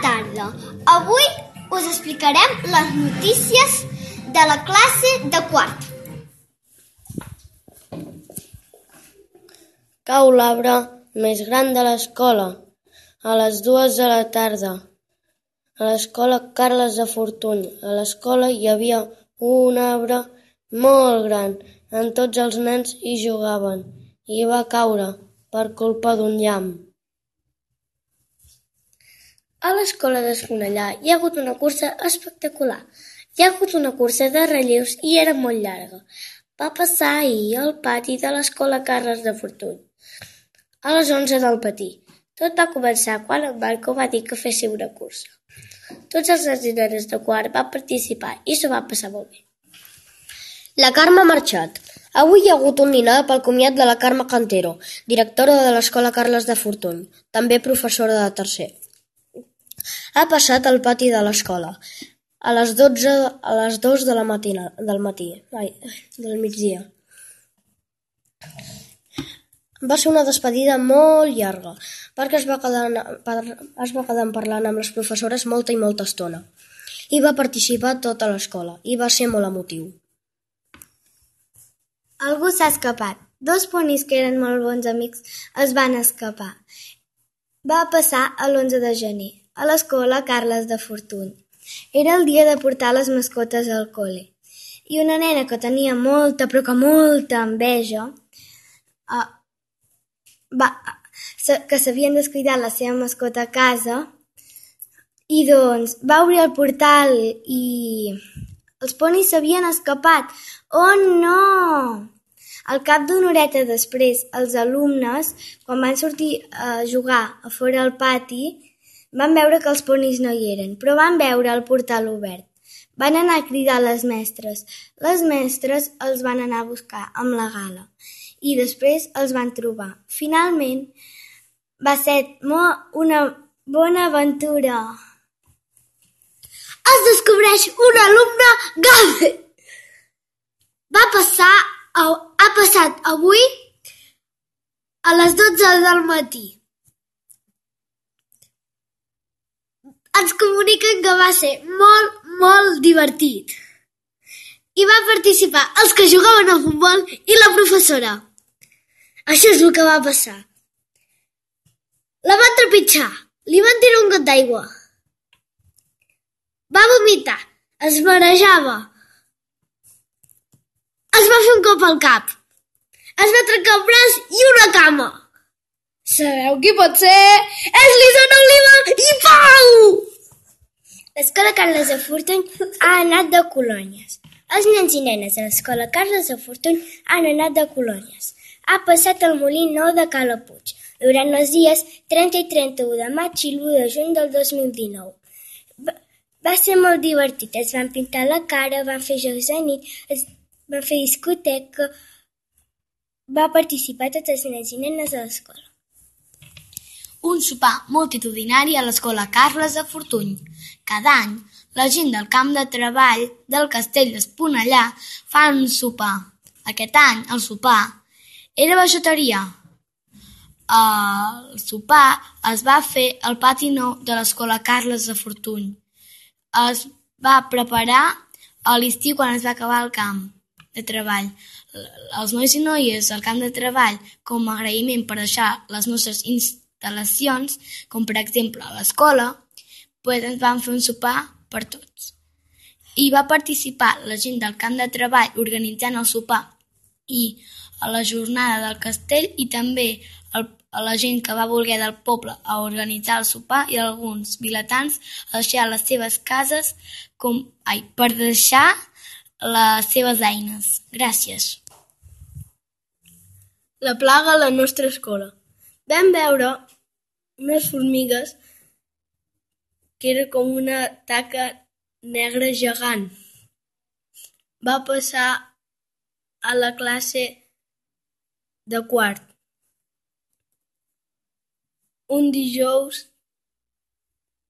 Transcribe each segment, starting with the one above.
tarda. Avui us explicarem les notícies de la classe de quart. Cau l'arbre més gran de l'escola, a les 2 de la tarda. A l'escola Carles de Fortuny. A l'escola hi havia un arbre molt gran, on tots els nens hi jugaven, i va caure per culpa d'un llamp. A l'escola d'Esponellà hi ha hagut una cursa espectacular. Hi ha hagut una cursa de relleus i era molt llarga. Va passar ahir al pati de l'escola Carles de Fortuny, a les 11 del matí. Tot va començar quan en Marco va dir que féssiu una cursa. Tots els nens i nenes de quart van participar i s'ho va passar molt bé. La Carme ha marxat. Avui hi ha hagut un dinar pel comiat de la Carme Cantero, directora de l'escola Carles de Fortuny, també professora de tercer. Ha passat al pati de l'escola a les 2 del migdia. Va ser una despedida molt llarga, perquè es va quedar parlant amb les professores molta i molta estona. Hi va participar tota l'escola i va ser molt emotiu. Algú s'ha escapat. 2 ponis que eren molt bons amics es van escapar. Va passar l'11 de gener, a l'escola Carles de Fortuny. Era el dia de portar les mascotes al col·le. I una nena que tenia molta, però que molta enveja, que s'havien descuidat la seva mascota a casa, i doncs va obrir el portal i els ponis s'havien escapat. Oh no! Al cap d'una horeta després, els alumnes, quan van sortir a jugar a fora al pati, van veure que els ponis no hi eren, però van veure el portal obert. Van anar a cridar a les mestres. Les mestres els van anar a buscar amb la gala i després els van trobar. Finalment, va ser una bona aventura. Es descobreix un alumne gai! Ha passat avui a les 12 del matí. Ens comuniquen que va ser molt, molt divertit. Hi va participar els que jugaven al futbol i la professora. Això és el que va passar. La van trepitjar, li van tirar un got d'aigua. Va vomitar, es marejava. Es va fer un cop al cap. Es va trencar un braç i una cama. Sabeu qui pot ser? És l'Isona Oliva i Pau! L'escola Carles de Fortuny ha anat de colònies. Els nens i nenes de l'escola Carles de Fortuny han anat de colònies. Ha passat al Molí Nou de Calapuig durant els dies 30 i 31 de maig i l'1 de juny del 2019. Va ser molt divertit. Es van pintar la cara, van fer jocs de nit, van fer discoteca. Va participar tots els nens i nenes de l'escola. Un sopar multitudinari a l'escola Carles de Fortuny. Cada any, la gent del camp de treball del castell d'Esponellà fan un sopar. Aquest any, el sopar era vegetarià. El sopar es va fer al pati nou de l'escola Carles de Fortuny. Es va preparar a l'estiu quan es va acabar el camp de treball. Els nois i noies del camp de treball, com a agraïment per deixar les nostres instal·lacions, com per exemple a l'escola, ens van fer un sopar per tots. Hi va participar la gent del camp de treball organitzant el sopar i a la jornada del castell i també a la gent que va voler del poble a organitzar el sopar i alguns vilatans a deixar les seves cases per deixar les seves eines. Gràcies. La plaga a la nostra escola. Vam veure unes formigues que era com una taca negra gegant. Va passar a la classe de quart. Un dijous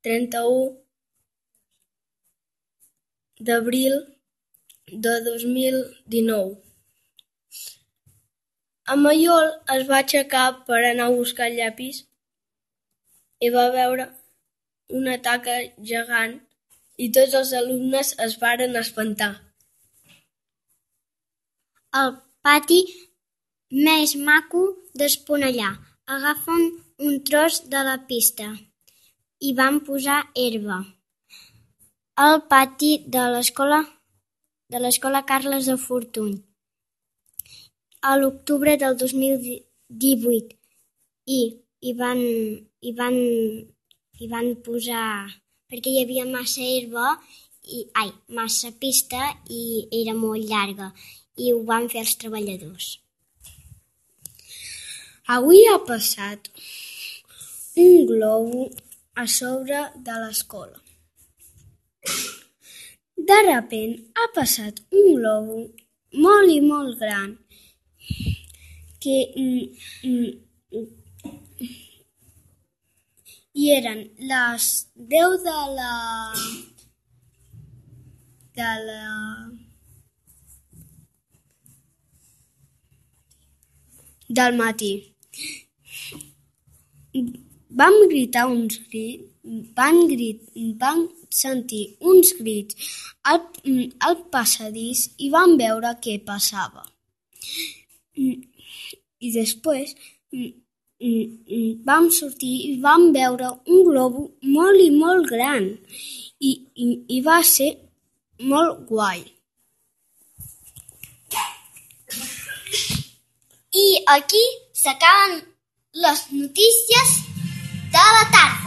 31 d'abril de 2019. En Maiol es va aixecar per anar a buscar el llapis i va veure una taca gegant i tots els alumnes es varen espantar. El pati més maco d'Esponellà. Agafen un tros de la pista i van posar herba. Al pati de l'escola Carles de Fortuny. A l'octubre del 2018 i van posar, perquè hi havia massa herba, massa pista i era molt llarga, i ho van fer els treballadors. Avui ha passat un globo a sobre de l'escola. De repent ha passat un globo molt i molt gran que i eren les 10 del matí. Vam sentir uns crits al passadís i vam veure què passava. I després vam sortir i vam veure un globo molt i molt gran i va ser molt guai. I aquí s'acaben les notícies de la tarda.